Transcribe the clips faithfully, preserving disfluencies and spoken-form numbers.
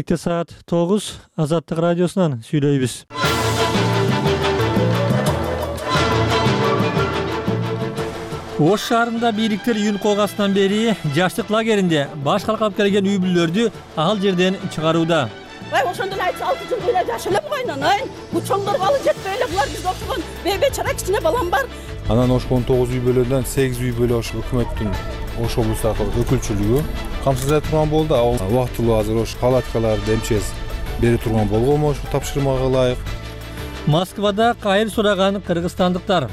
Кечкиликте саат тогуз Азаттык радиосунан сүйлөйбүз. Ош шаарында бийликтер июнь колгасынан бери жаштык лагеринде баш калкалап келген үй бүлөлөрдү ал жерден чыгарууда. Ай, ошондон айтса алты жыл эле жашылып койнун, ай. Бу чоңдорго алы жетпей эле булар бизге окшогон бейбечара кичине балам бар. Анан Ошко он тогуз үй бүлөдөн сегиз үй бүлө Ош өкмөттүн Ош облустагы өкүлчүлүгү камсыздап турган болду. Ал убактылуу азыр Ош палаткаларды МЧС бере турган болгонму ошо тапшырмага ылайык. Москвада кайыр сураган кыргызстандыктар.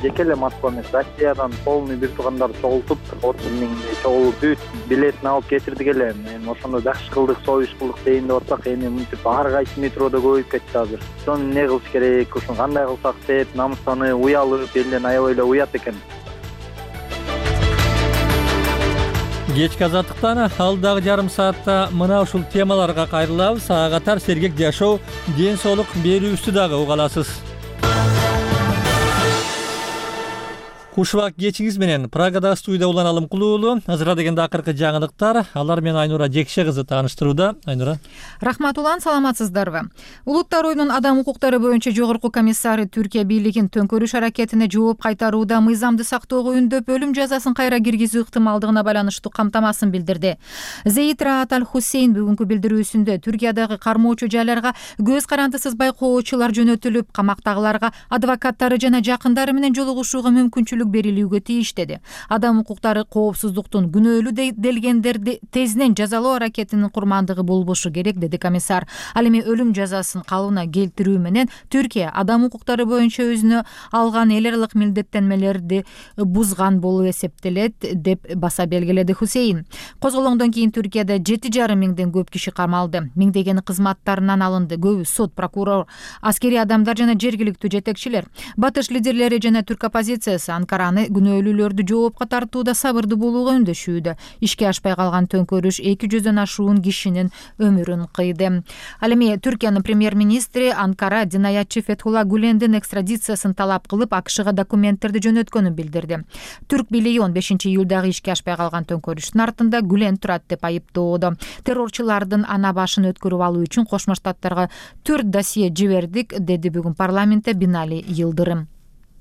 Жеке эле Москва эмес, Россиядан полный бир туугандар чогултуп, отуз миңдей чогулуп бүт билетин алып кетирдик эле. Эми ошондо жакшы кылдык, союз кылдык дейин деп атсак, эми мынтип ар кайсы метродо көбөйүп кетти азыр. Ошону эмне кылыш керек, ушуну кандай кылсак деп, намыстанып, уялып, элден аябай эле уят экен. Кечки Азаттыктан алдагы жарым саатта мына ушул темаларга кайрылабыз. Ага катар сергек жашоо, ден соолук берүүбүздү дагы уга аласыз. Кушубак кечиңиз менен Прагада студияда улан Алымкул уулу. Азыркы дегенде акыркы жаңылыктар. Алар менен Айнура Жекше кызы тааныштырууда. Айнура. Рахмат улан, саламатсыздарбы? Улуттар оюнунун адам укуктары боюнча жогорку комиссары Түркия бийлигин төңкөрүш аракетине жооп кайтарууда мыйзамды сактоого үндөп өлүм жазасын кайра киргизүү ыктымалдыгына байланыштуу камтамасын билдирди. Зейид Раат Аль-Хусейн бүгүнкү билдирүүсүндө Түркиядагы кармоочу жайларга көз карандысыз байкоочулар жөнөтүлүп, камактагыларга адвокаттары жана жакындары менен жолугушууга мүмкүнчүлүк берилүүгө тийиш деди. Адам укуктары коопсуздуктун күнөөлүү делгендерди тезинен жазалоо аракетинин курмандыгы болбошу керек, деди комиссар. Ал эми өлүм жазасын калыбына келтирүү менен Түркия адам укуктары боюнча өзүнө алган эл аралык милдеттенмелерди бузган болуп эсептелет, деп баса белгиледи Хусейн. Козголоңдон кийин Түркияда жети жарым миңден көп киши камалды. Миңдегени кызматтарынан алынды. Көбү сот, прокурор, аскерий адамдар жана жергиликтүү жетекчилер. Батыш лидерлери жана түрк оппозициясы Анкараны күнөөлүүлөрдү жоопко тартууда сабырдуу болууга үндөшүүдө. Ишке ашпай калган төңкөрүш эки жүздөн ашуун кишинин өмүрүн кыйды. Ал эми Түркиянын премьер-министри Анкара динаятчы Фетхулла Гулендин экстрадициясын талап кылып, АКШга документтерди жөнөткөнүн билдирди. Түрк бийлиги он бешинчи июлдагы ишке ашпай калган төңкөрүштүн артында Гулен турат деп айыптоодо. Террорчулардын ана башын өткөрүп алуу үчүн Кошмо Штаттарга төрт досье жибердик, деди бүгүн парламентте Бинали Yıldırım.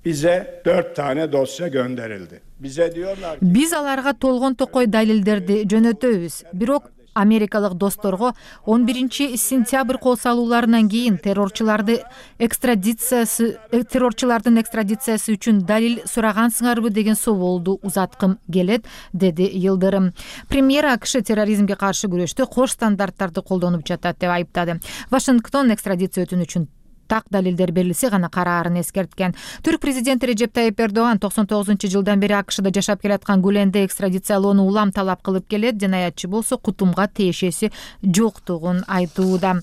Bize dört tane dosya gönderildi. Bize diyorlar ki... Biz аларга толгон токой далилдерди жөнөтөбүз. Бирок америкалык досторго он биринчи сентябрь кол салууларынан кийин террорчуларды экстрадициясы террорчулардын экстрадициясы үчүн далил сурагансыңарбы деген соолду узаткым келет, деди Yıldırım. Премьер АКШ терроризмге каршы күрөштө кош стандарттарды колдонуп жатат деп айыптады. Вашингтон экстрадиция өтүнүү үчүн так далилдер берилсе гана караарын эскерткен. Түрк президенти Режеп Тайип Эрдоган токсон тогузунчу жылдан бери АКШда жашап келаткан Гуленди экстрадициялоону улам талап кылып келет. Динаятчы болсо кутумга тиешеси жоктугун айтууда.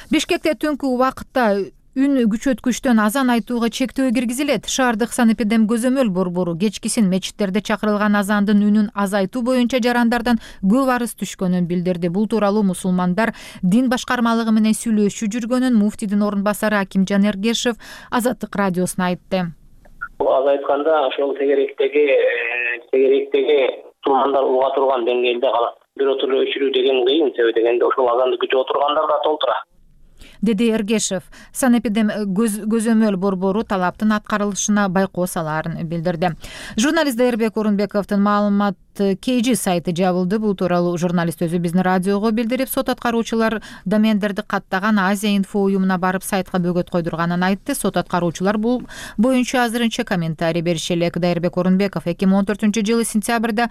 Бишкекте түнкү убакытта үн күчөткүчтөн азан айтууга чектөө киргизилет. Шаардык санэпидем көзөмөл борбору кечкисин мечиттерде чакырылган азандын үнүн азайтуу боюнча жарандардан көп арыз түшкөнүн билдирди. Бул тууралуу мусулмандар дин башкармалыгы менен сүйлөшүп жүргөнүн муфтийдин орун басары Акимжан Эргешев Азаттык радиосуна айтты. Аз айтканда ошол тегеректеги тегеректеги мусулмандар уга турган деңгээлде калат. Биротуру өчүрүү деген кыйын, себеби дегенде ошол азанды күтүп отургандар да толтура, деди Эргешев. Санэпидем көзөмөл борбору талаптын аткарылышына байкоо салаарын билдирди. Журналист Дайырбек Орунбековдун маалымат кей джи сайты жабылды. Бул тууралуу журналист өзү биздин радиого билдирип, сот аткаруучулар домендерди каттаган Азия инфо уюмуна барып сайтка бөгөт койдурганын айтты. Сот аткаруучулар бул боюнча азырынча комментарий бериши элек. Дайырбек Орунбеков эки миң он төртүнчү жылы сентябрда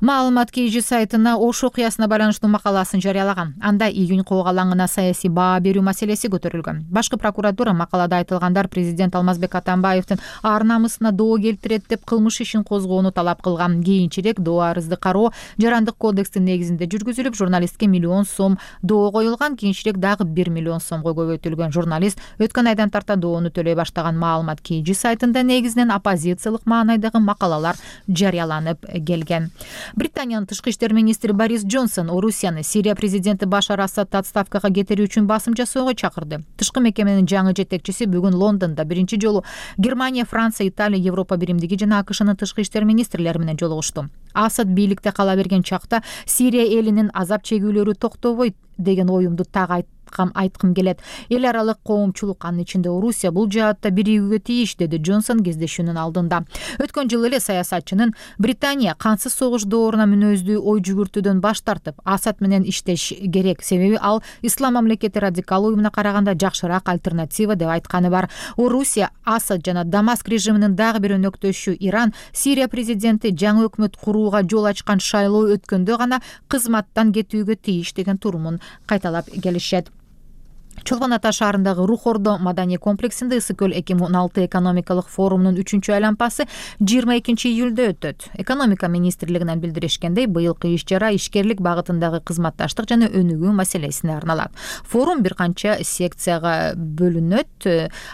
маалымат кей джи сайтына Ош окуясына байланыштуу макаласын жарыялаган. Анда июнь коогалаңына саясий баа берүү маселеси көтөрүлгөн. Башкы прокуратура макалада айтылгандар президент Алмазбек Атамбаевдин ар намысына доо келтирет деп кылмыш ишин козгоону талап кылган. Кийинчерээк доо арызды кароо жарандык кодекстин негизинде жүргүзүлүп, журналистке миллион сом доо коюлган. Кийинчерээк дагы бир миллион сомго көбөйтүлгөн. Журналист өткөн айдан тарта доону төлөй баштаган. Маалымат кей джи сайтында негизинен оппозициялык маанайдагы макалалар жарыяланып келген. Британиянын тышкы иштер министри Борис Джонсон Орусияны Сирия президенти Башар Асадты отставкага кетирүү үчүн басым жасоого чакырды. Тышкы мекеменин жаңы жетекчиси бүгүн Лондондо биринчи жолу Германия, Франция, Италия, Европа биримдиги жана АКШнын тышкы иштер министрлери менен жолугушту. А Асад бийликте кала берген чакта Сирия элинин азап чегүүлөрү токтобойт деген оюмду так айткым келет. Эл аралык коомчулук, анын ичинде Орусия бул жаатта биригүүгө тийиш, деди Джонсон кездешүүнүн алдында. Өткөн жылы эле саясатчынын Британия кансыз согуш дооруна мүнөздүү ой жүгүртүүдөн баш тартып, Асад менен иштеш керек, себеби ал ислам мамлекети радикал уюмуна караганда жакшыраак альтернатива деп айтканы бар. Орусия, Асад жана Дамаск режиминин дагы бир өнөктөшү Иран Сирия президенти жаңы өкмөт курууга жол ачкан шайлоо өткөндө гана кызматтан кетүүгө тийиш деген турумун кайталап келишет. Чолпон Ата шаарындагы Рух Ордо маданий комплексинде Ысык көл эки миң он алты экономикалык форумунун үчүнчү айлампасы жыйырма экинчи июлда өтөт. Экономика министрлигинен билдиришкендей, быйылкы иш-чара ишкерлик багытындагы кызматташтык жана өнүгүү маселесине арналат. Форум бир канча секцияга бөлүнөт.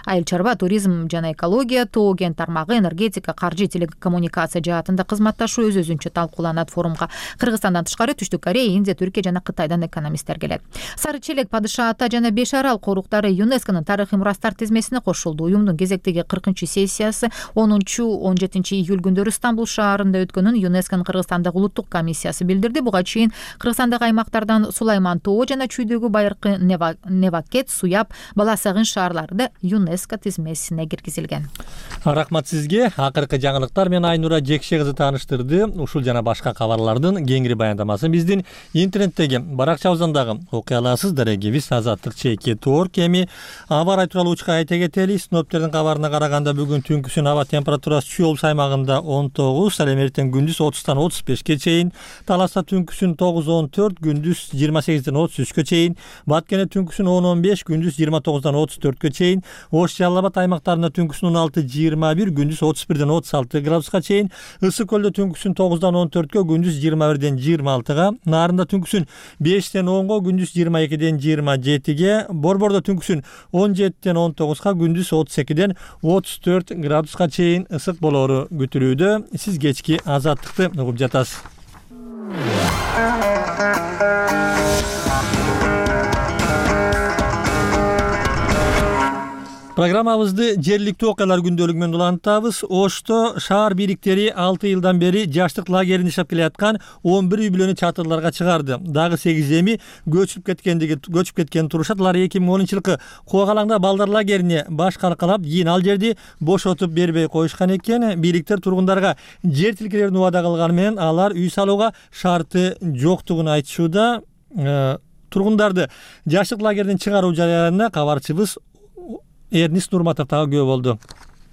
Айыл чарба, туризм жана экология, тоо кен тармагы, энергетика, каржы, телекоммуникация жаатында кызматташуу өз-өзүнчө талкууланат. Форумга Кыргызстандан тышкары Түштүк Корея, Индия, Түркия жана Кытайдан экономисттер келет. Сары Челек, Падыша Ата жана Беш Арал коруктары ЮНЕСКОнун тарыхый мурастар тизмесине кошулду. Уюмдун кезектеги кыркынчы сессиясы онунчу он жетинчи июль күндөрү Стамбул шаарында өткөнүн ЮНЕСКонун Кыргызстандагы улуттук комиссиясы билдирди. Буга чейин Кыргызстандагы аймактардан Сулайман Тоо жана Чүйдөгү Байыркы, Невакет, Суяб, Баласагын шаарлары да ЮНЕСКо тизмесине киргизилген. Рахмат сизге. Акыркы жаңылыктар менен Айнура Жекше кызы тааныштырды. Ушул жана башка кабарлардын кеңири баяндамасын биздин интернеттеги баракчабыздагы окуяларсыз дарегибиз Азаттык чеки тоор кеми аба ырайы тууралуу учка айта кетели. Синоптиктердин кабарына караганда бүгүн түнкүсүн аба температурасы Чүй облус аймагында он тогуз, ал эми эртең күндүз отуздон отуз бешке чейин, Таласта түнкүсүн тогуз он төрт, күндүз жыйырма сегизден отуз үчкө чейин, Баткене түнкүсүн он он беш, күндүз жыйырма тогуздан отуз төрткө чейин, Ош, Жалал Абад аймактарында түнкүсүн он алты жыйырма бир, күндүз отуз бирден отуз алты градуска чейин, Ысык көлдө түнкүсүн тогуздан он төрткө, күндүз жыйырма бирден жыйырма алтыга, Нарында түнкүсүн бештен онго, күндүз жыйырма экиден жыйырма жетиге, Борбордо түнкүсүн он жетиден он тогузга, күндүз отуз экиден отуз төрт градуска чейин ысык болоору күтүлүүдө. Сиз кечки Азаттыкты угуп жатасыз. Программабызды жергиликтүү окуялар күндөлүгү менен улантабыз. Ошто шаар бийликтери алты жылдан бери жаштык лагеринде иштеп келаткан он бир үй бүлөнү чатырларга чыгарды. Дагы сегиз эми көчүп кеткендиги көчүп кеткен турушат. Алар эки миң онунчу жылкы Куугалаңда балдар лагерине баш каркалап, кийин ал жерди бошотуп бербей коюшкан экен. Бийликтер тургундарга жер тилкелерин убада кылганы менен алар үй салууга шарты жоктугун айтышууда. Тургундарды жаштык лагеринен чыгаруу жарыянына кабарчыбыз Эрнис Нурматов дагы күбө болду.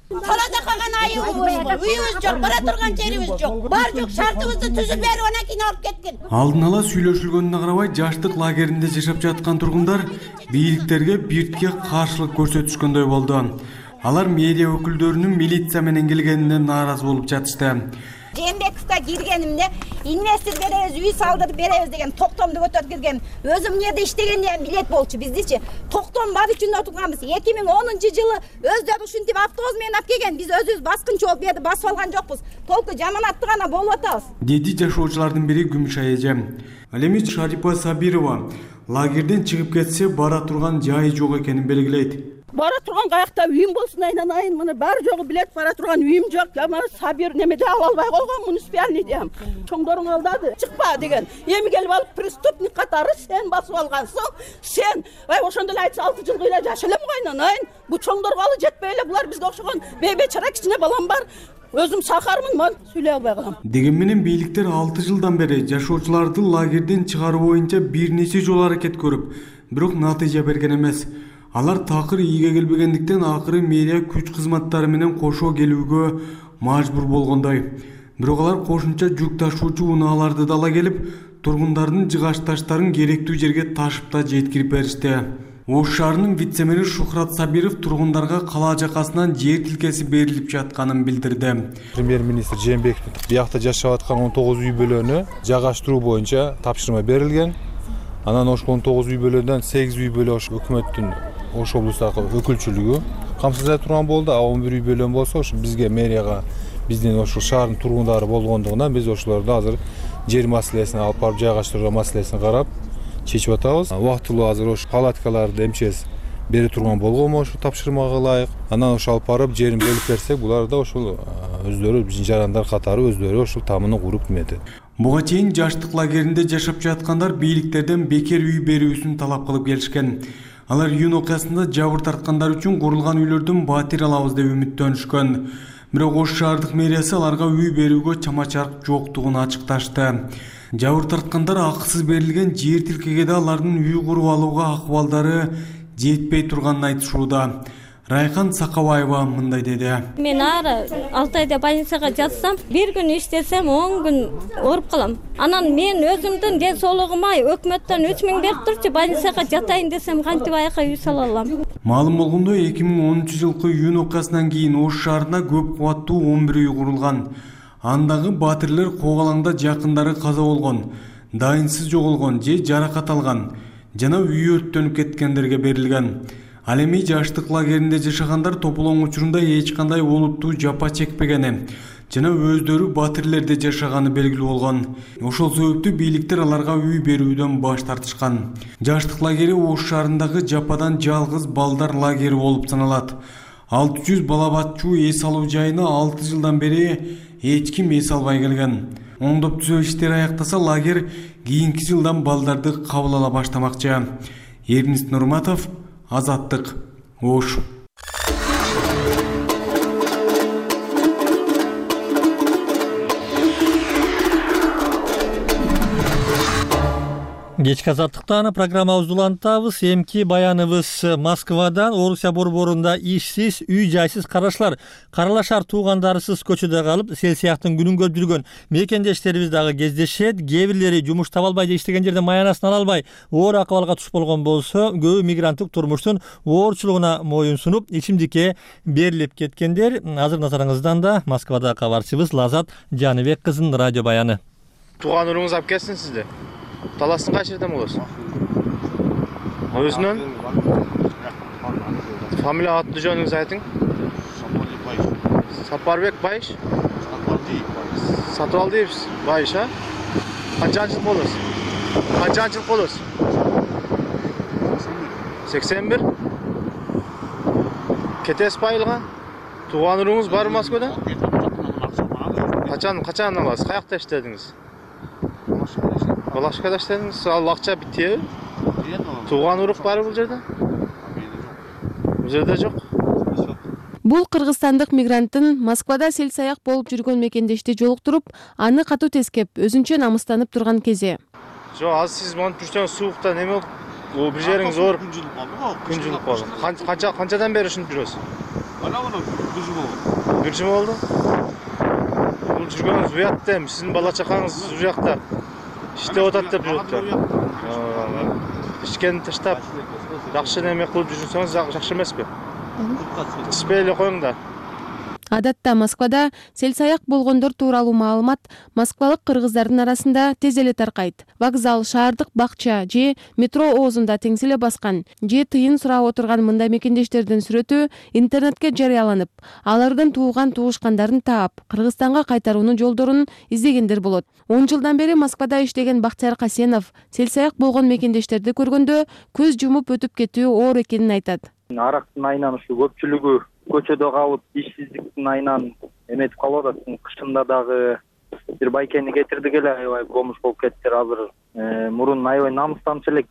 Калада калган айыбыз, үйүбүз жок, бара турган жерибиз жок. Бар жок, шартыбызды түзүп берип, анан кийин алып кеткен. Алдын ала сүйлөшүлгөнүнө карабай, жаштык лагеринде жашап жаткан тургундар бийликтерге биртке каршылык көрсөтүшкөндөй болду. Алар медиа өкүлдөрүнүн милиция менен келгенине нааразы болуп жатышты. Жээнбековго киргенимде инвестор беребиз, үй салдырып беребиз деген токтомду көтөрүп киргем. Өзүм жерде иштегенде билет болчу. Биздичи токтом бар үчүн отурганбыз. эки миң онунчу жылы өздөрү ушинтип автобус менен алып келген. Биз өзүбүз баскынчы болуп жерди басып алган жокпуз. Толку жаманатты гана болуп атабыз. Деди жашоочулардын бири Күмүш айыжа. Ал эми Шарипа Сабирова лагерден чыгып кетсе бара турган жайы жок экенин белгилейт. Бара турган каякта үйүм болсун айнанайын, мына бар жогу билет, бара турган үйүм жок. Ама Сабир немеде ала албай койгон, муниципальный дем. Чоңдоруң алдады, чыкпа деген. Эми келип алып преступник катары сен басып алгансың. Сен, ай ошондо эле айтса алты жыл эле жаша элем го айнанайын. Бу чоңдорго алы жетпей эле, булар бизге окшогон бейбечара кичине балам бар. Өзүм сахармын, мен сүйлөй албай калам. Деген менен бийликтер алты жылдан бери жашоочуларды лагерден чыгаруу боюнча бир нече жолу аракет көрүп, бирок натыйжа берген эмес. Алар такыр ийге келбегендиктен акыры медиа күч кызматтары менен кошо келүүгө мажбур болгондой. Бирок алар кошумча жүк ташуучу унааларды да ала келип, тургундардын жыгач таштарын керектүү жерге ташып да жеткирип беришти. Ош шаарынын вице-мэри Шухрат Сабиров тургундарга кала жакасынан жер тилкеси берилип жатканын билдирди. Премьер-министр Жээнбеков биякта жашап аткан он тогуз үй бүлөнү жагаштыруу боюнча тапшырма берилген. Анан ошол он тогуз үй бүлөдөн сегиз үй бүлө ош өкмөттүн Ош облустагы өкүлчүлүгү камсыздап турган болду. А он бир үй бүлө болсо ошо бизге мэрияга биздин ошол шаардын тургундары болгондугунан биз ошолорду азыр жер маселесин алып барып жайгаштыруу маселесин карап чечип атабыз. Убактылуу азыр ошо палаткаларды эмчес бере турган болгонбу ошо тапшырмага ылайык. Анан ошо алып барып жерин бөлүп берсек, булар да ошол өздөрү жарандар катары өздөрү ошол тамыны куруп неметет. Буга чейин жаштык лагеринде жашап жаткандар бийликтерден бекер үй берүүсүн талап кылып келишкен. Алар июнь окуясында жабыр тарткандар үчүн курулган үйлөрдөн батир алабыз деп үмүттөнүшкөн. Бирок Ош шаардык мэриясы аларга үй берүүгө чама-чарк жоктугун ачыкташты. Жабыр тарткандар акысыз берилген жер тилкеге да алардын үй куруп алууга акыбалдары жетпей турганын айтышууда. Райхан Сакабаева мындай деди. Мен ары алты айда больницага жатсам, бир күн иштесем, он күн ооруп калам. Анан мен өзүмдүн ден соолугума өкмөттөн үч миң берип турчу, больницага жатайын десем, кантип аяка үй сала алам? Маалым болгондой, эки миң онунчу жылкы июнь окуясынан кийин Ош шаарында көп кубаттуу он бир үй курулган. Андагы батирлер Когалаңда жакындары каза болгон, дайынсыз жоголгон же жаракат алган жана үй өрттөнүп кеткендерге берилген. Ал эми жаштык лагеринде жашагандар тополоң учурунда эч кандай олуттуу жапа чекпегени жана өздөрү батирлерде жашаганы белгилүү болгон. Ошол себептүү бийликтер аларга үй берүүдөн баш тартышкан. Жаштык лагери Ош шаарындагы жападан жалгыз балдар лагери болуп саналат. алты жүз бала батчу эс алуу жайына алты жылдан бери эч ким эс албай келген. Оңдоп түзөө иштери аяктаса лагер кийинки жылдан балдарды кабыл ала баштамакчы. Эрнис Нурматов, Азаттык, Ош. Кечки азаттыктан программабызды улантабыз. Эмки баяныбыз Москвадан Орусия борборунда ишсиз, үй жайсыз карашлар, каралашар туугандарысыз көчөдө калып, сел сыяктын күнүн көрүп жүргөн мекендештерибиз дагы кездешет. Кээ бирлери жумуш таба албай же иштеген жерден маянасын ала албай оор акыбалга туш болгон болсо, көбү мигранттык турмуштун оорчулугуна моюн сунуп, ичимдикке берилип кеткендер. Азыр назарыңыздан да Москвада кабарчыбыз Лазат Жаныбек кызынын радио баяны. Тууган уруңуз алып келсин сизди. Таластын кайсы жерден болосуз? Өзүнөн? Фамилия аты жөнүңүз айтың? Сапарбек Байыш. Сатыбалдиев Байыш, а? Канчанчы жыл болосуз? Канчанчы жыл болосуз? сексен бир. Кетесиз айылга? Тууган уруңуз барбы Москвада? Качан, качан аласыз? Каякта иштедиңиз? Балашкада иштедиңиз, ал акча битти. Тууган урук барбы бул жерде? Бул жерде жок. Бул кыргызстандык мигранттын Москвада сел саяк болуп жүргөн мекендешти жолуктуруп, аны катуу тескеп, өзүнчө намыстанып турган кези. Жок, азыр сиз монтип жүрсөңүз суукта неме болуп, бир жериңиз ооруп, күн жылып калды. Күн жылып калды. Канча канчадан бери ушинтип жүрөсүз? Ана мына бир жыл болду. Бир жыл болду. Бул жүргөнүңүз уят да, сиздин бала чакаңыз ушул жакта иштеп атат деп жүрүптүр. Ишкени таштап, жакшы неме кылып жүрсөңүз жакшы эмеспи? Испей эле коюңдар. Адатта Москвада сел саяк болгондор тууралуу маалымат москвалык кыргыздардын арасында тез эле таркайт. Вокзал, шаардык бакча же метро оозунда теңселе баскан же тыйын сурап отурган мындай мекендештердин сүрөтү интернетке жарыяланып, алардын тууган туушкандарын таап, Кыргызстанга кайтаруунун жолдорун издегендер болот. он жылдан бери Москвада иштеген Бактияр Касенов сел саяк болгон мекендештерди көргөндө көз жумуп өтүп кетүү оор экенин айтат. Арактын айынан ушу көпчүлүгү көчөдө калып, ишсиздиктин айынан эметип калып атат. Кышында дагы бир байкени кетирдик эле, аябай бомж болуп кеттир. Азыр мурун аябай намыстанчу элек.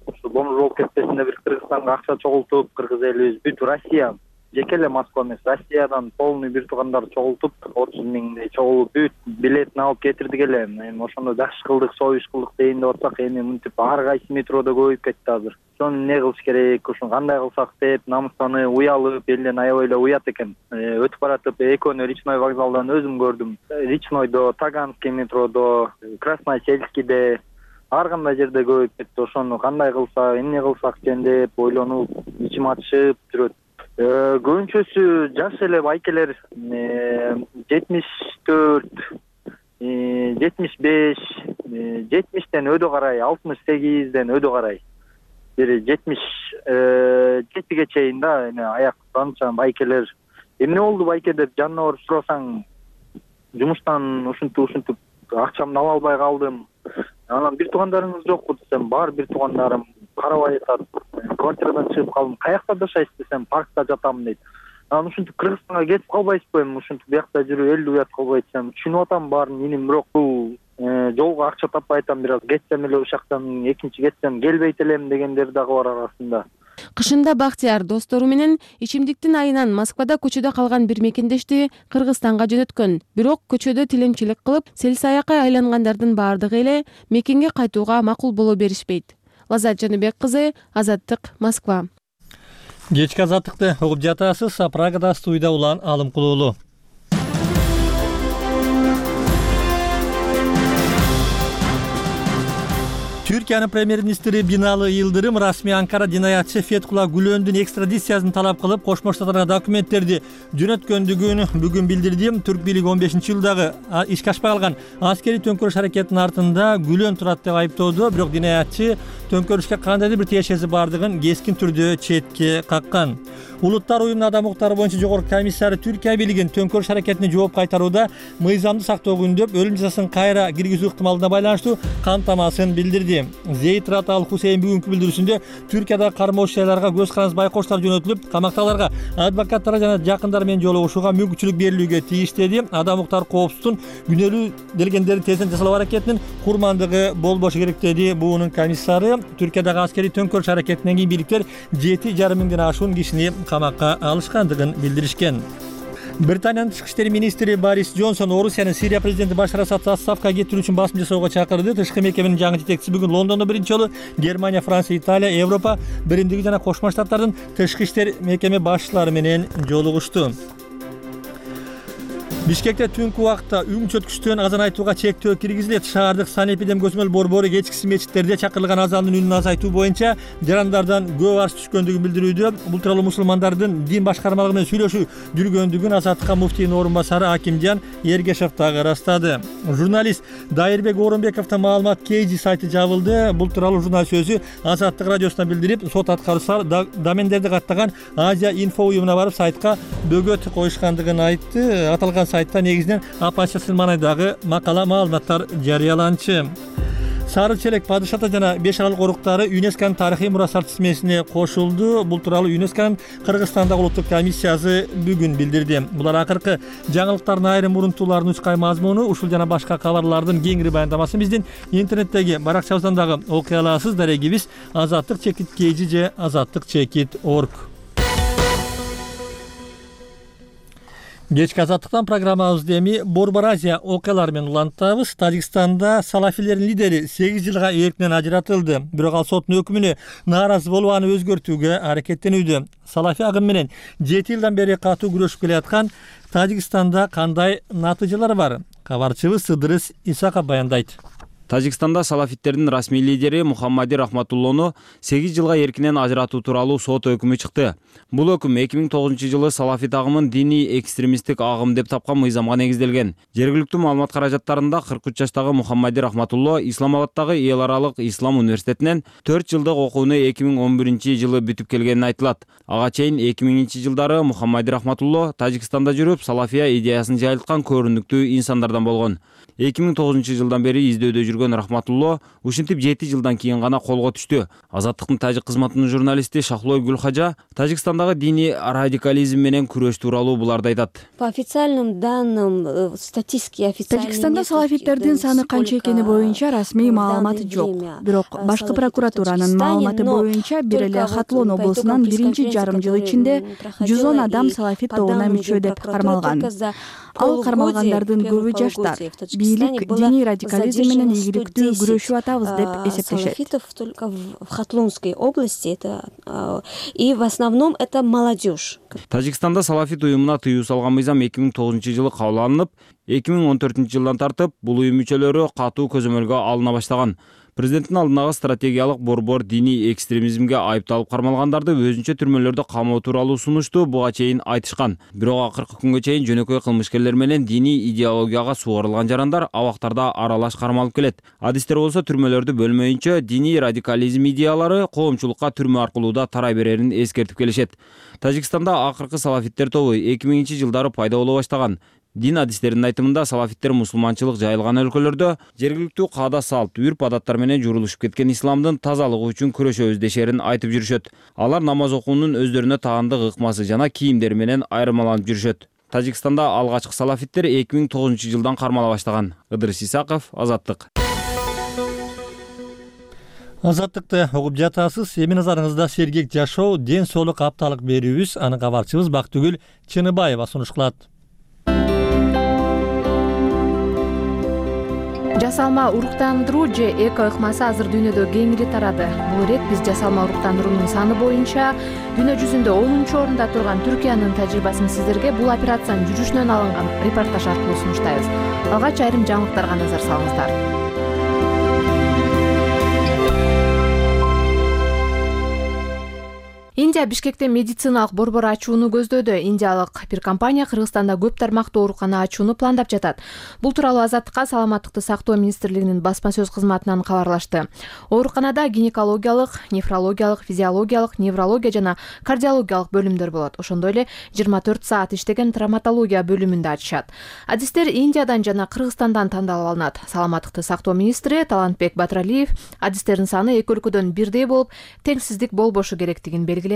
Ушу бомж болуп кетпесин деп бир Кыргызстанга акча чогултуп, кыргыз элибиз бүт Россия, жеке эле Москва эмес, Россиядан полный бир туугандар чогултуп, отуз миңдей чогулуп бүт билетин алып кетирдик эле. Эми ошондо жакшы кылдык, союз кылдык дейин деп атсак, эми мынтип ар кайсы метродо көбөйүп кетти азыр. Ошону эмне кылыш керек, ушуну кандай кылсак деп намыстанып, уялып, элден аябай эле уят экен. Өтүп баратып, экөөнү Речной вокзалдан өзүм көрдүм. Речнойдо, Таганский метродо, Красносельскийде, ар кандай жерде көбөйүп кетти. Ошону кандай кылсак, эмне кылсак экен деп ойлонуп, ичим ачышып жүрөт. Көбүнчөсү жаш эле байкелер, жетимиш төрт, жетимиш беш, жетимиштен өдө карай, алтымыш сегизден өдө карай. Бир жетимиш жетиге чейин да эме аяктанча байкелер. Эмне болду байке деп жанына барып сурасаң, жумуштан ушинтип ушинтип акчамды ала албай калдым. Анан бир туугандарыңыз жокпу десем, бар бир туугандарым карабай атат. квартирадан чыгып калдым. Каякта жашайсыз десем, паркта жатам дейт. Анан ушинтип Кыргызстанга кетип калбайсызбы эми, ушинтип биякта жүрүп элүү уят кылбай десем, түшүнүп атам баарын иним, бирок бул жолго акча таппай атам, бир аз кетсем эле ушул жактан, экинчи кетсем келбейт элем дегендер дагы бар арасында. Кышында Бактияр достору менен ичимдиктин айынан Москвада көчөдө калган бир мекендешти Кыргызстанга жөнөткөн. Бирок көчөдө тилемчилик кылып, селсаякка айлангандардын баардыгы эле мекенге кайтууга макул боло беришпейт. Лазат Жаныбек кызы, Азаттык, Москва. Кечки азаттыкты угуп жатасыз. Прагада студияда Улан Алымкулуулу. Түркиянын премьер-министри Бинали Йылдырым расмий Анкара динаятчы Фетхулла Гүлөндүн экстрадициясын талап кылып, Кошмо Штаттарга документтерди жөнөткөндүгүн бүгүн билдирди. Түрк бийлиги он бешинчи жылдагы ишке ашпай калган аскерий төңкөрүш аракетинин артында Гүлөн турат деп айыптоодо, бирок динаятчы төңкөрүшкө кандайдыр бир тиешеси бардыгын кескин түрдө четке каккан. Улуттар уюмунун адам укуктары боюнча жогорку комиссары Түркия бийлигин төңкөрүш аракетине жооп кайтарууда мыйзамды сактоого үндөп, өлүм жазасын кайра киргизүү ыктымалына байланыштуу камтамасын билдирди. Зейт Рат Ал Хусейн бүгүнкү билдирүүсүндө Түркияда кармоочу жайларга көз карандысыз байкоштор жөнөтүлүп, камактагыларга адвокаттар жана жакындары менен жолугушууга мүмкүнчүлүк берилүүгө тийиштеди. Адам укуктар коопсуздун күнөөлүү делгендерди тезден жасалуу аракетинин курмандыгы болбошу керек деди буунун комиссары. Түркиядагы аскерий төңкөрүш аракетинен кийин бийликтер жети жарым миңден ашуун кишини камакка алышкандыгын билдиришкен. Британиянын тышкы иштер министри Борис Джонсон Орусиянын Сирия президенти Башар Асадты отставкага кетирүү үчүн басым жасоого чакырды. Тышкы мекеменин жаңы жетекчиси бүгүн Лондондо биринчи жолу Германия, Франция, Италия, Европа биримдиги жана Кошмо Штаттардын тышкы иштер мекеме башчылары менен жолугушту. Бишкекте түнкү убакта үң чөткүчтөн азан айтууга чектөө киргизилет. Шаардык санэпидем көзөмөл борбору кечкиси мечиттерде чакырылган азандын үнүн азайтуу боюнча жарандардан көп арыз түшкөндүгүн билдирүүдө. Бул тууралуу мусулмандардын дин башкармалыгы менен сүйлөшүү жүргөндүгүн Азаттыкка муфтийдин орун басары Акимжан Эргешев дагы ырастады. Журналист Дайырбек Орунбековдун маалымат Кейжи сайты жабылды. Бул тууралуу журналист өзү Азаттык радиосуна билдирип, сот аткаруучулар домендерди каттаган Азия инфо уюмуна барып сайтка бөгөт коюшкандыгын айтты. Аталган сайтта негизинен апачасыл маанайдагы макала маалыматтар жарыяланчу. Сары челек падышата жана беш арал коруктары ЮНЕСКОнун тарыхый мурастар тизмесине кошулду. Бул тууралуу ЮНЕСКОнун Кыргызстандагы улуттук комиссиясы бүгүн билдирди. Булар акыркы жаңылыктардын айрым мурунтууларынын учкай мазмуну. Ушул жана башка кабарлардын кеңири баяндамасын биздин интернеттеги баракчабыздан дагы окуй аласыз. Дарегибиз азаттык чекит kg же азаттык чекит точка орг. Кечки азаттыктан программабызды эми Борбор Азия окуялары менен улантабыз. Тажикстанда салафилердин лидери сегиз жылга эркинен ажыратылды. Бирок ал соттун өкүмүнө нааразы болуп аны өзгөртүүгө аракеттенүүдө. Салафи агым менен жети жылдан бери катуу күрөшүп келаткан Тажикстанда кандай натыйжалар бар? Кабарчыбыз Сыдырыс Исаков баяндайт. Тажикстанда салафиттердин расмий лидери Мухаммади Рахматуллону сегиз жылга эркинен ажыратуу тууралуу сот өкүмү чыкты. Бул өкүм эки миң тогузунчу жылы салафит агымын диний экстремисттик агым деп тапкан мыйзамга негизделген. Жергиликтүү маалымат каражаттарында кырк үч жаштагы Мухаммади Рахматулло Исламабаддагы эл аралык ислам университетинен төрт жылдык окууну эки миң он биринчи жылы бүтүп келгени айтылат. Ага чейин эки миңинчи жылдары Мухаммади Рахматулло Тажикстанда жүрүп, салафия идеясын жайылткан көрүнүктүү инсандардан болгон. эки миң тогузунчу жылдан бери издөөдө жүргөн Рахматулло ушинтип жети жылдан кийин гана колго түштү. Азаттыктын тажик кызматынын журналисти Шахлой Гүлхажа Тажикстандагы диний радикализм менен күрөш тууралуу буларды айтат. По официальным данным статистики официальный Тажикстанда салафиттердин саны канча экени боюнча расмий маалымат жок. Бирок башкы прокуратуранын маалыматы боюнча бир эле Хатлон облусунан биринчи жарым жыл ичинде жүз он адам салафит тобуна мүчө деп кармалган. Ал кармалгандардын көбү жаштар. Бийлик диний радикализм менен ийгиликтүү күрөшүп атабыз деп эсептешет. Салафитов только в Хатлонской области это и в основном это молодежь. Тажикстанда салафит уюмуна тыюу салган мыйзам эки миң тогузунчу жылы кабыл алынып, эки миң он төртүнчү жылдан тартып бул уюм мүчөлөрү катуу көзөмөлгө алына баштаган. Президенттин алдындагы стратегиялык борбор диний экстремизмге айыпталып кармалгандарды өзүнчө түрмөлөрдө камоо тууралуу сунушту буга чейин айтышкан. Бирок акыркы күнгө чейин жөнөкөй кылмышкерлер менен диний идеологияга сугарылган жарандар абактарда аралаш кармалып келет. Адистер болсо түрмөлөрдү бөлмөйүнчө диний радикализм идеялары коомчулукка түрмө аркылуу да тарай берерин эскертип келишет. Тажикстанда акыркы салафиттер тобу эки миңинчи жылдары пайда боло баштаган. Дин адистеринин айтымында салафиттер мусулманчылык жайылган өлкөлөрдө жергиликтүү каада салт, үрп адаттар менен журулушуп кеткен исламдын тазалыгы үчүн күрөшөбүз дешерин айтып жүрүшөт. Алар намаз окуунун өздөрүнө таандык ыкмасы жана кийимдери менен айырмаланып жүрүшөт. Тажикстанда алгачкы салафиттер эки миң тогузунчу жылдан кармала баштаган. Ыдырыс Исаков, Азаттык. Азаттыкты угуп жатасыз. Эми назарыңызда сергек жашоо, ден соолук апталык берүүбүз. Аны кабарчыбыз Бактыгүл Чыныбаева сунуш кылат. Жасалма уруктандыруу же эко ыкмасы азыр дүйнөдө кеңири тарады. Бул ирет биз жасалма уруктандыруунун саны боюнча дүйнө жүзүндө онунчу орунда турган Түркиянын тажрыйбасын сиздерге бул операциянын жүрүшүнөн алынган репортаж аркылуу сунуштайбыз. Алгач айрым жаңылыктарга назар салыңыздар. Индия Бишкекте медициналык борбор ачууну көздөдө. Индиялык бир компания Кыргызстанда көп тармактуу оорукана ачууну пландап жатат. Бул тууралуу Азаттыкка Саламаттыкты сактоо министрлигинин басма сөз кызматынан кабарлашты. Ооруканада гинекологиялык, нефрологиялык, физиологиялык, неврология жана кардиологиялык бөлүмдөр болот. Ошондой эле жыйырма төрт саат иштеген травматология бөлүмүндө ачышат. Адистер Индиядан жана Кыргызстандан тандалып алынат. Саламаттыкты сактоо министри Талантбек Батыралиев адистердин саны эки өлкөдөн бирдей болуп, теңсиздик болбошу керектигин белгиледи.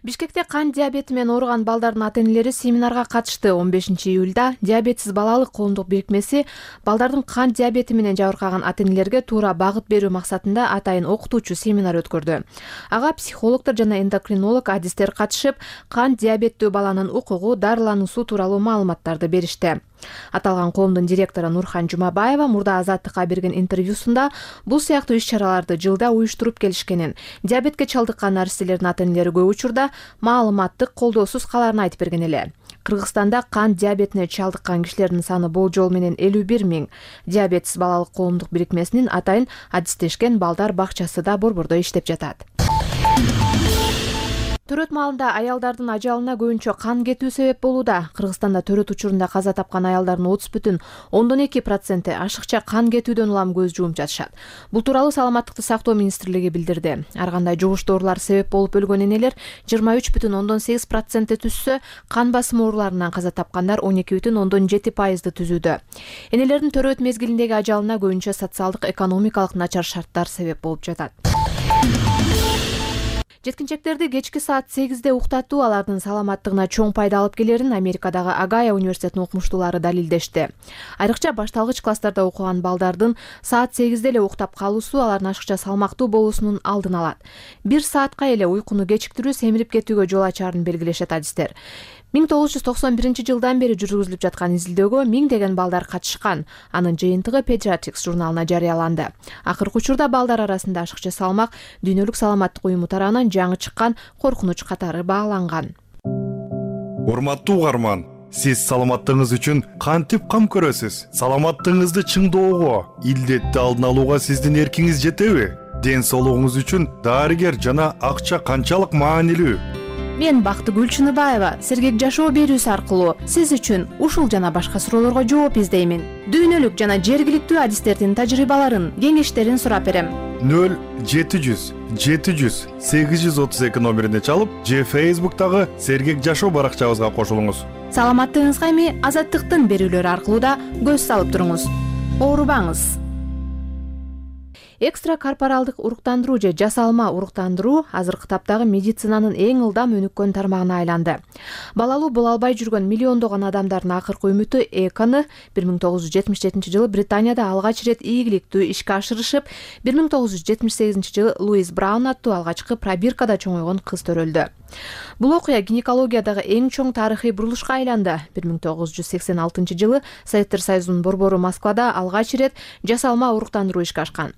Бишкекте кант диабети менен ооруган балдардын ата-энелери семинарга катышты. он бешинчи июлда диабетсиз балалык коомдук бирикмеси балдардын кант диабети менен жабыркаган ата-энелерге туура багыт берүү максатында атайын окутуучу семинар өткөрдү. Ага психологдор жана эндокринолог адистер катышып, кант диабеттүү баланын укугу, дарылануусу тууралуу маалыматтарды беришти. Аталган коомдун директору Нурхан Жумабаева мурда Азаттыкка берген интервьюсунда бул сыяктуу иш-чараларды жылда уюштуруп келишкенин, диабетке чалдыккан наристелердин ата-энелери көп учурда маалыматтык колдоосуз каларын айтып берген эле. Кыргызстанда кант диабетине чалдыккан кишилердин саны болжол менен элүү бир миң. Диабетсиз балалык коомдук бирикмесинин атайын адистешкен балдар бакчасы да борбордо иштеп жатат. Төрөт маалында аялдардын ажалына көбүнчө кан кетүү себеп болууда. Кыргызстанда төрөт учурунда каза тапкан аялдардын отуз бүтүн ондон эки проценти ашыкча кан кетүүдөн улам көз жумуп жатышат. Бул тууралуу Саламаттыкты сактоо министрлиги билдирди. Ар кандай жугуш доорулар себеп болуп өлгөн энелер жыйырма үч бүтүн ондон сегиз процентти түзсө, кан басымы ооруларынан каза тапкандар он эки бүтүн ондон жети пайызды түзүүдө. Энелердин төрөт мезгилиндеги ажалына көбүнчө социалдык, экономикалык начар шарттар себеп болуп жатат. Жеткинчектерди кечки саат сегизде уктатуу алардын саламаттыгына чоң пайда алып келерин Америкадагы Агая университетинин окумуштуулары далилдешти. Айрыкча башталгыч класстарда окуган балдардын саат сегизде эле уктап калуусу алардын ашыкча салмактуу болуусунун алдын алат. Бир саатка эле уйкуну кечиктирүү семирип кетүүгө жол ачарын белгилешет адистер. миң тогуз жүз токсон биринчи жылдан бери жүргүзүлүп жаткан изилдөөгө миңдеген балдар катышкан. Анын жыйынтыгы Pediatrics журналына жарыяланды. Акыркы учурда балдар арасында ашыкча салмак Дүйнөлүк саламаттык уюму тарабынан жаңы чыккан коркунуч катары бааланган. Урматтуу угарман, сиз саламаттыгыңыз үчүн кантип кам көрөсүз? Саламаттыгыңызды чыңдоого, илдетти алдын алууга сиздин эркиңиз жетеби? Ден соолугуңуз үчүн дарыгер жана акча канчалык маанилүү? Мен Бактыгүл Чыныбаева сергек жашоо берүүсү аркылуу сиз үчүн ушул жана башка суроолорго жооп издеймин. Дүйнөлүк жана жергиликтүү адистердин тажрыйбаларын, кеңештерин сурап берем. нөл жети жүз жети жүз сегиз жүз отуз эки номерине чалып, же Facebook'тагы сергек жашоо баракчабызга кошулуңуз. Саламаттыгыңызга эми Азаттыктын берүүлөрү аркылуу да көз салып туруңуз. Оорубаңыз. Экстра корпоралдык уруктандыруу же жасалма уруктандыруу азыркы таптагы медицинанын эң ылдам өнүккөн тармагына айланды. Балалуу боло албай жүргөн миллиондогон адамдардын акыркы үмүтү Эканы бир миң тогуз жүз жетимиш жетинчи жылы Британияда алгач ирет ийгиликтүү ишке ашырышып, бир миң тогуз жүз жетимиш сегизинчи жылы Луис Браун аттуу алгачкы пробиркада чоңойгон кыз төрөлдү. Бул окуя гинекологиядагы эң чоң тарыхый бурулушка айланды. бир миң тогуз жүз сексен алтынчы жылы Советтер Союзунун борбору Москвада алгач ирет жасалма уруктандыруу ишке ашкан.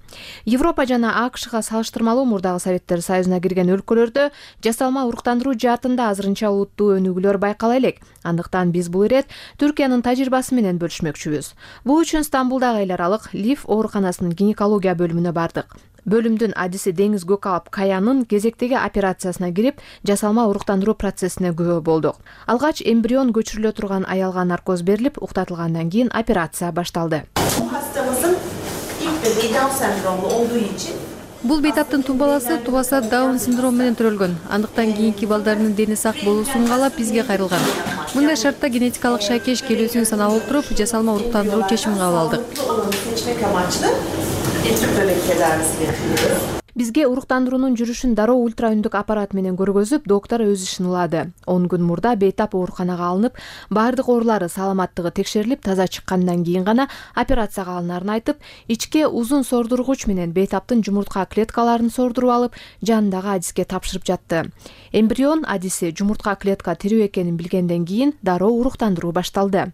Европа жана АКШга салыштырмалуу мурдагы Советтер Союзуна кирген өлкөлөрдө жасалма уруктандыруу жаатында азырынча улуттуу өнүгүүлөр байкала элек. Андыктан биз бул ирет Түркиянын тажрыйбасы менен бөлүшмөкчүбүз. Бул үчүн Стамбулдагы эл аралык Лиф ооруканасынын гинекология бөлүмүнө бардык. Бөлүмдүн адиси Деңиз Gökalp Каянын кезектеги операциясына кирип, жасалма уруктандыруу процессине күбө болдук. Алгач эмбрион көчүрүлө турган аялга наркоз берилип, уктатылгандан кийин операция башталды. Bu hastamızın ilk bebeği Down sendromlu olduğu için Бул бейтаптын тумбаласы тубаса Даун синдрому менен төрөлгөн. Андыктан кийинки балдарынын дени сак болуусун каалап бизге кайрылган. Мындай шартта генетикалык шайкеш келүүсүн санап отуруп, жасалма уруктандыруу чечимин кабыл алдык. Бизге уруктандыруунун жүрүшүн дароо ультра үндүк аппарат менен көргөзүп, доктор өз ишин ылады. он күн мурда бейтап ооруканага алынып, баардык оорулары саламаттыгы текшерилип, таза чыккандан кийин гана операцияга алынарын айтып, ичке узун сордургуч менен бейтаптын жумуртка клеткаларын сордуруп алып, жанындагы адиске тапшырып жатты. Эмбрион адиси жумуртка клетка тирүү экенин билгенден кийин дароо уруктандыруу башталды.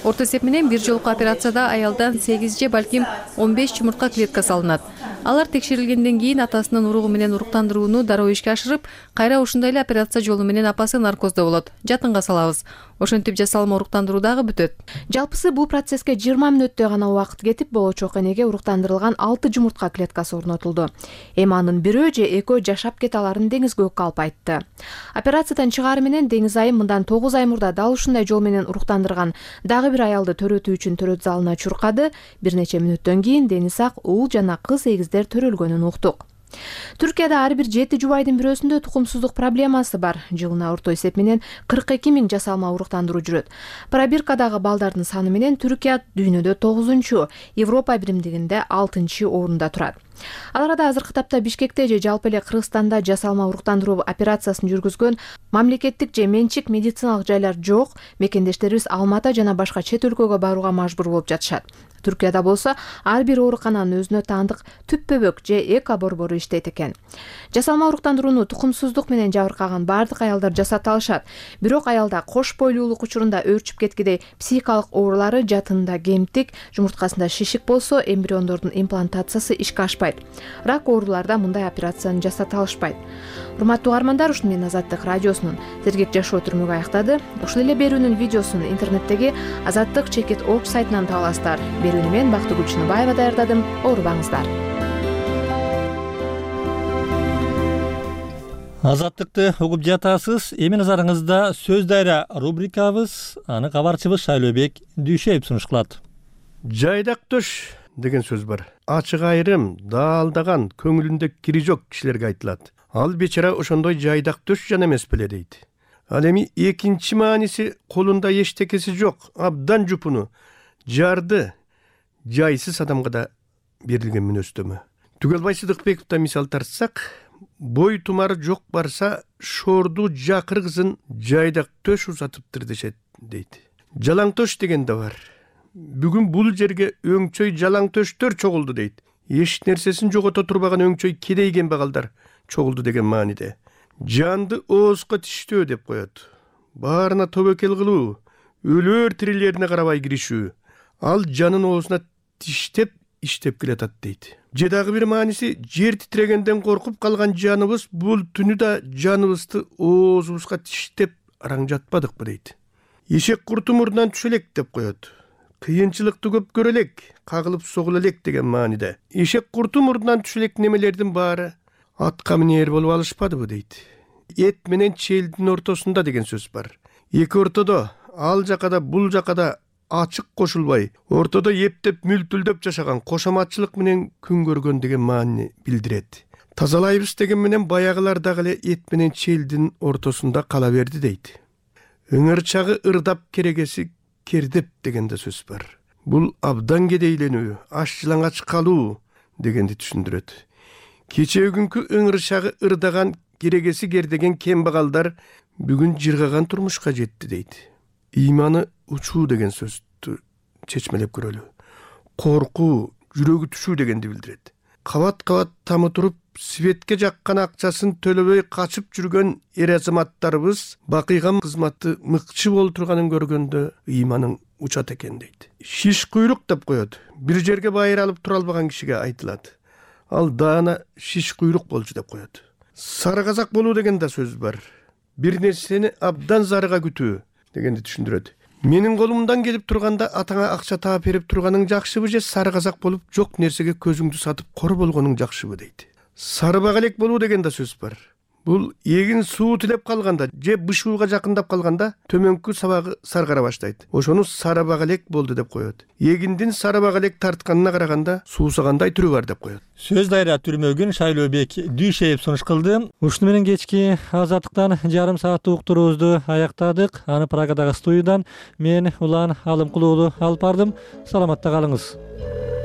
Орто эсеп менен бир жолку операцияда аялдан сегиз же балким он беш жумуртка клетка салынат. Алар текшерилгенден кийин атасынын уругу менен уруктандырууну дароо ишке ашырып, кайра ушундай эле операция жолу менен апасы наркоздо болот. Жатынга салабыз. Ошентип жасалма уруктандыруу дагы бүтөт. Жалпысы бул процесске жыйырма мүнөттөй гана убакыт кетип, болочок энеге уруктандырылган алты жумуртка клеткасы орнотулду. Эми анын бирөө же экөө жашап кете аларын деңизге өккө алып айтты. Операциядан чыгаары менен деңиз айым мындан тогуз ай мурда дал ушундай жол менен уруктандырган дагы бир аялды төрөтүү үчүн төрөт залына чуркады. Бир нече мүнөттөн кийин дени сак уул жана кыз эгиздер төрөлгөнүн уктук. Түркияда ар бир жети жубайдын бирөөсүндө тукумсуздук проблемасы бар. Жылына орто эсеп менен кырк эки миң жасалма уруктандыруу жүрөт. Пробиркадагы балдардын саны менен Түркия дүйнөдө тогузунчу, Европа биримдигинде алтынчы орунда турат. Ал арада азыркы тапта Бишкекте же жалпы эле Кыргызстанда жасалма уруктандыруу операциясын жүргүзгөн мамлекеттик же менчик медициналык жайлар жок. Мекендештерибиз Алматы жана башка чет өлкөгө барууга мажбур болуп жатышат. Түркияда болсо ар бир оорукананын өзүнө таандык түп бөбөк же эко борбору иштейт экен. Жасалма уруктандырууну тукумсуздук менен жабыркаган баардык аялдар жасата алышат. Бирок аялда кош бойлуулук учурунда өөрчүп кеткидей психикалык оорулары, жатынында кемтик, жумурткасында шишик болсо, эмбриондордун имплантациясы ишке ашпайт. Рак ооруларда мындай операцияны жасата алышпайт. Урматтуу угармандар, ушуну менен Азаттык радиосунун Сергек жашоо түрмөгү аяктады. Ушул эле берүүнүн видеосун интернеттеги Азаттык чекит орг сайтынан таба аласыздар. Берүүнү мен Бактыгүл Чыныбаева даярдадым. Оорубаңыздар. Азаттыкты угуп жатасыз. Эми назарыңызда сөз дайра рубрикабыз. Аны кабарчыбыз Шайлообек Дүйшөев сунуш кылат. Жайдак төш деген сөз бар. Ачык айрым, даалдаган, көңүлүндө кири жок кишилерге айтылат. Ал бечара ошондой жайдак төш жана эмес беле дейт. Ал эми экинчи мааниси колунда эчтекеси жок, абдан жупуну, жарды, жайсыз адамга да берилген мүнөздөмө. Түгөлбай Сыдыкбековдон мисал тартсак, бой тумары жок барса, шорду жакыр кызын жайдак төш узатыптыр дешет дейт. Жалаң төш деген да бар. Бүгүн бул жерге өңчөй жалаң төштөр чогулду дейт. Эч нерсесин жогото турбаган өңчөй кедейген багалдар чогулду деген мааниде. Жанды оозго тиштөө деп коет. Баарына тобокел кылуу, өлөр тирилерине карабай киришүү. Ал жанын оозуна тиштеп иштеп келатат дейт. Же дагы бир мааниси, жер титирегенден коркуп калган жаныбыз бул түнү да жаныбызды оозубузга тиштеп араң жатпадыкпы дейт. Эшек курту мурдунан түшө элек деп коет. Кыйынчылыкты көп көрө элек, кагылып согула элек деген мааниде. Эшек курту мурдунан түшө элек немелердин баары атка минер болуп алышпадыбы дейт. Эт менен челдин ортосунда деген сөз бар. Эки ортодо, ал жакада бул жакада ачык кошулбай, ортодо эптеп мүлтүлдөп жашаган кошоматчылык менен күн көргөн деген маанини билдирет. Тазалайбыз деген менен баягылар дагы эле эт менен челдин ортосунда кала берди дейт. Ыңырчагы ырдап керегеси кердеп деген да сөз бар. Бул абдан кедейленүү, аш жылаңач калуу дегенди түшүндүрөт. Кечээ күнкү ыңырчагы ырдаган керегеси кердеген кембагалдар бүгүн жыргаган турмушка жетти дейт. Ыйманы учуу деген сөздү чечмелеп көрөлү. Коркуу, жүрөгү түшүү дегенди билдирет. Кабат-кабат тамы туруп, светке жаккан акчасын төлөбөй качып жүргөн эр азаматтарыбыз бакыйган кызматты мыкчы болуп турганын көргөндө ыйманың учат экен дейт. Шиш куйрук деп коет. Бир жерге байыр алып тура албаган кишиге айтылат. Ал даана шиш куйрук болчу деп коет. Сары казак болуу деген да сөз бар. Бир нерсени абдан зарыга күтүү дегенди түшүндүрөт. Менин колумдан келип турганда атаңа акча таап берип турганың жакшыбы же сары казак болуп жок нерсеге көзүңдү сатып кор болгонуң жакшыбы дейт. Сары багалек болуу деген да сөз бар. бул эгин суу тилеп калганда же бышууга жакындап калганда төмөнкү сабагы саргара баштайт. Ошону сарабак элек болду деп коет. Эгиндин сарабак элек тартканына караганда суусагандай түрү бар деп коет. Сөз дайра түрмөгүн Шайлообек Дүйшеев сунуш кылды. Ушуну менен кечки Азаттыктан жарым сааттык уктуруубузду аяктадык. Аны Праgadагы студиядан мен Улан Алымкулуу алып бардым. Саламатта калыңыз.